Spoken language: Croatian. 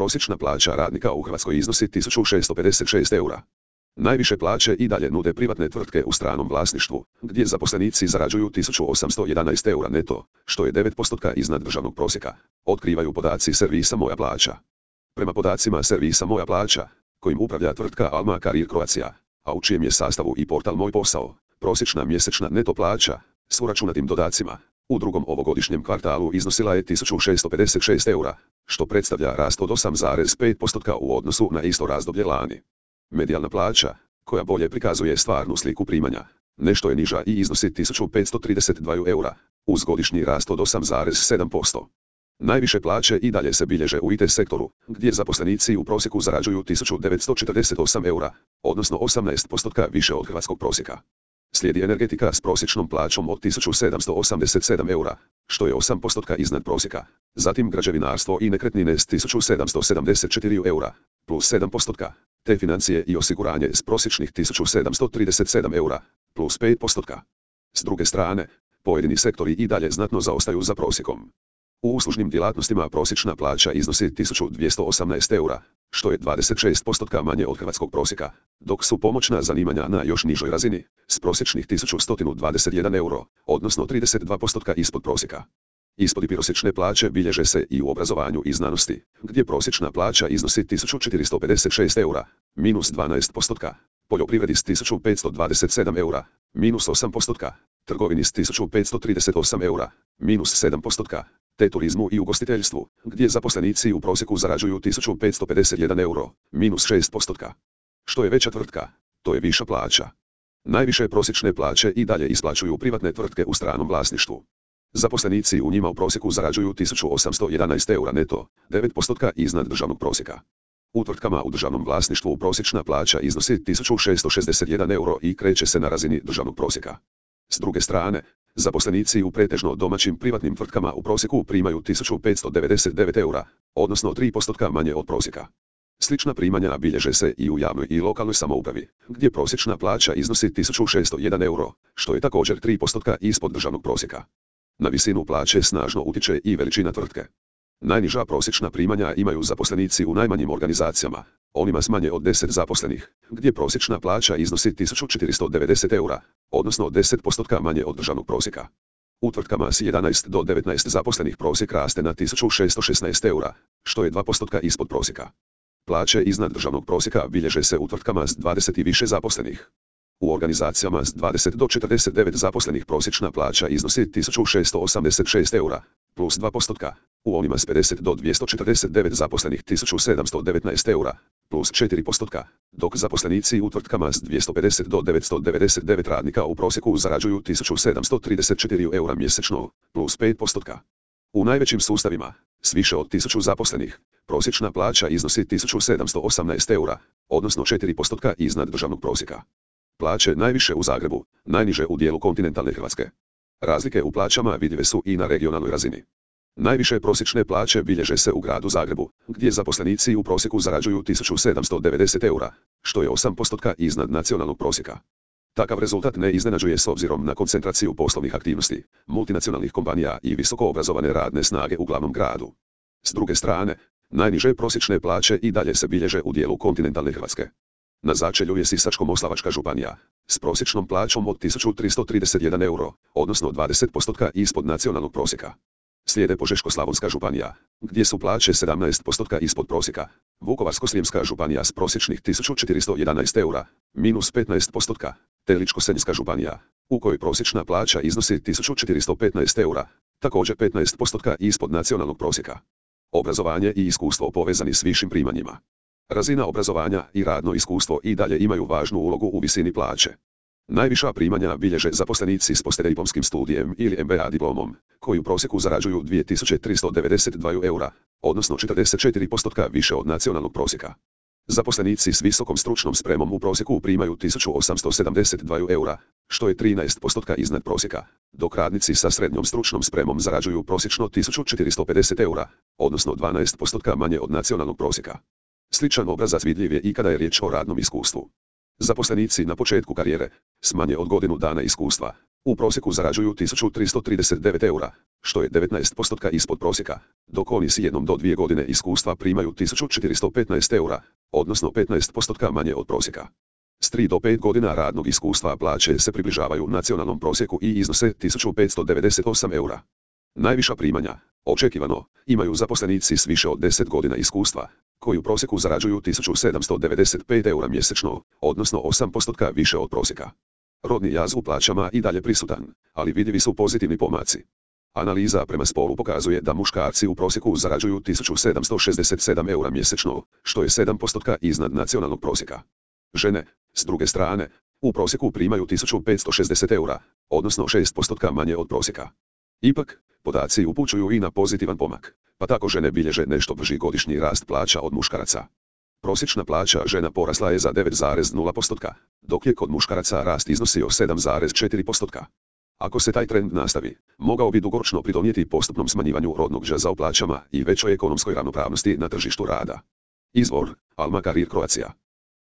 prosječna plaća radnika u Hrvatskoj iznosi 1656 eura. Najviše plaće i dalje nude privatne tvrtke u stranom vlasništvu, gdje zaposlenici zarađuju 1811 eura neto, što je 9% iznad državnog prosjeka, otkrivaju podaci servisa Moja plaća. Prema podacima servisa Moja plaća, kojim upravlja tvrtka Alma Career Croatia, a u čijem je sastavu i portal Moj posao, prosječna mjesečna neto plaća, s uračunatim dodacima, u drugom ovogodišnjem kvartalu iznosila je 1656 eura, što predstavlja rast od 8,5% u odnosu na isto razdoblje lani. Medijalna plaća, koja bolje prikazuje stvarnu sliku primanja, nešto je niža i iznosi 1532 eura, uz godišnji rast od 8,7%. Najviše plaće i dalje se bilježe u IT sektoru, gdje zaposlenici u prosjeku zarađuju 1948 eura, odnosno 18% više od hrvatskog prosjeka. Slijedi energetika s prosječnom plaćom od 1787 eura, što je 8% iznad prosjeka. Zatim građevinarstvo i nekretnine s 1774 eura, plus 7%, te financije i osiguranje s prosječnih 1737 eura, plus 5%. S druge strane, pojedini sektori i dalje znatno zaostaju za prosjekom. U uslužnim djelatnostima prosječna plaća iznosi 1218 eura, što je 26% manje od hrvatskog prosjeka, dok su pomoćna zanimanja na još nižoj razini, s prosječnih 1121 euro, odnosno 32% ispod prosjeka. Ispod prosječne plaće bilježe se i u obrazovanju i znanosti, gdje prosječna plaća iznosi 1456 eura, minus 12%, poljoprivredi s 1527 eura, minus 8%, trgovini s 1538 eura, minus 7%, te turizmu i ugostiteljstvu, gdje zaposlenici u prosjeku zarađuju 1551 euro, minus 6%. Što je veća tvrtka, to je viša plaća. Najviše prosječne plaće i dalje isplaćuju privatne tvrtke u stranom vlasništvu. Zaposlenici u njima u prosjeku zarađuju 1811 eura neto, 9% iznad državnog prosjeka. U tvrtkama u državnom vlasništvu prosječna plaća iznosi 1661 euro i kreće se na razini državnog prosjeka. S druge strane, zaposlenici u pretežno domaćim privatnim tvrtkama u prosjeku primaju 1599 eura, odnosno 3% manje od prosjeka. Slična primanja bilježe se i u javnoj i lokalnoj samoupravi, gdje prosječna plaća iznosi 1601 euro, što je također 3% ispod državnog prosjeka. Na visinu plaće snažno utječe i veličina tvrtke. Najniža prosječna primanja imaju zaposlenici u najmanjim organizacijama, onima s manje od 10 zaposlenih, gdje prosječna plaća iznosi 1490 eura, odnosno 10% manje od državnog prosjeka. U tvrtkama s 11 do 19 zaposlenih prosjek raste na 1616 eura, što je 2% ispod prosjeka. Plaće iznad državnog prosjeka bilježe se u tvrtkama s 20 i više zaposlenih. U organizacijama s 20 do 49 zaposlenih prosječna plaća iznosi 1686 eura, plus 2%, u onima s 50 do 249 zaposlenih 1719 eura, plus 4%, dok zaposlenici u tvrtkama s 250 do 999 radnika u prosjeku zarađuju 1734 eura mjesečno, plus 5%. U najvećim sustavima, s više od 1000 zaposlenih, prosječna plaća iznosi 1718 eura, odnosno 4% iznad državnog prosjeka. Plaće najviše u Zagrebu, najniže u dijelu kontinentalne Hrvatske. Razlike u plaćama vidljive su i na regionalnoj razini. Najviše prosječne plaće bilježe se u gradu Zagrebu, gdje zaposlenici u prosjeku zarađuju 1790 eura, što je 8% iznad nacionalnog prosjeka. Takav rezultat ne iznenađuje s obzirom na koncentraciju poslovnih aktivnosti, multinacionalnih kompanija i visoko obrazovane radne snage u glavnom gradu. S druge strane, najniže prosječne plaće i dalje se bilježe u dijelu kontinentalne Hrvatske. Na začelju je Sisačko-moslavačka županija, s prosječnom plaćom od 1331 euro, odnosno 20% ispod nacionalnog prosjeka. Slijede Požeško-slavonska županija, gdje su plaće 17% ispod prosjeka, Vukovarsko-srijemska županija s prosječnih 1411 eura, minus 15%, te Ličko-senjska županija, u kojoj prosječna plaća iznosi 1415 eura, također 15% ispod nacionalnog prosjeka. Obrazovanje i iskustvo povezani s višim primanjima. Razina obrazovanja i radno iskustvo i dalje imaju važnu ulogu u visini plaće. Najviša primanja bilježe zaposlenici s poslijediplomskim studijem ili MBA diplomom, koji u prosjeku zarađuju 2392 eura, odnosno 44% više od nacionalnog prosjeka. Zaposlenici s visokom stručnom spremom u prosjeku primaju 1872 eura, što je 13% iznad prosjeka, dok radnici sa srednjom stručnom spremom zarađuju prosječno 1450 eura, odnosno 12% manje od nacionalnog prosjeka. Sličan obrazac vidljiv je i kada je riječ o radnom iskustvu. Zaposlenici na početku karijere, s manje od godinu dana iskustva, U prosjeku zarađuju 1339 eura, što je 19% ispod prosjeka, dok oni s 1 do 2 godine iskustva primaju 1415 eura, odnosno 15% manje od prosjeka. S 3 do 5 godina radnog iskustva plaće se približavaju nacionalnom prosjeku i iznose 1598 eura. Najviša primanja, očekivano, imaju zaposlenici s više od 10 godina iskustva, koji u prosjeku zarađuju 1795 eura mjesečno, odnosno 8% više od prosjeka. Rodni jaz u plaćama i dalje prisutan, ali vidljivi su pozitivni pomaci. Analiza prema spolu pokazuje da muškarci u prosjeku zarađuju 1767 eura mjesečno, što je 7% iznad nacionalnog prosjeka. Žene, s druge strane, u prosjeku primaju 1560 eura, odnosno 6% manje od prosjeka. Ipak, podaci upućuju i na pozitivan pomak, pa tako žene bilježe nešto brži godišnji rast plaća od muškaraca. Prosječna plaća žena porasla je za 9,0%, dok je kod muškaraca rast iznosio 7,4%. Ako se taj trend nastavi, mogao bi dugoročno pridonijeti postupnom smanjivanju rodnog jaza u plaćama i većoj ekonomskoj ravnopravnosti na tržištu rada. Izvor: Alma Career Croatia.